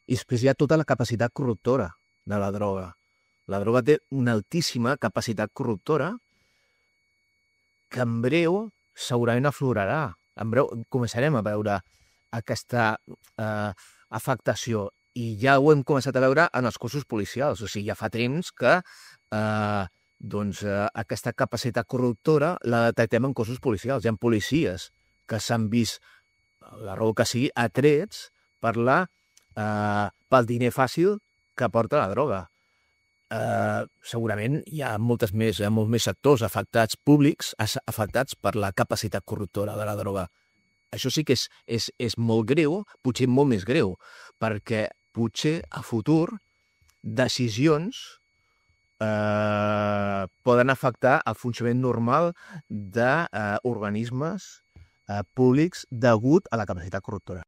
I després hi ha tota la capacitat corruptora de la droga. La droga té una altíssima capacitat corruptora que en breu segurament aflorarà. En breu començarem a veure aquesta afectació i ja ho hem començat a veure en els cossos policials. O sigui, ja fa temps que aquesta capacitat corruptora la detectem en cossos policials. Hi ha policies que s'han vist, la raó que sigui, atrets pel diner fàcil que porta la droga. Segurament hi ha molts més sectors afectats, públics, afectats per la capacitat corruptora de la droga. Això sí que és molt greu, potser molt més greu, perquè potser a futur decisions poden afectar el funcionament normal d'organismes públics degut a la capacitat corruptora.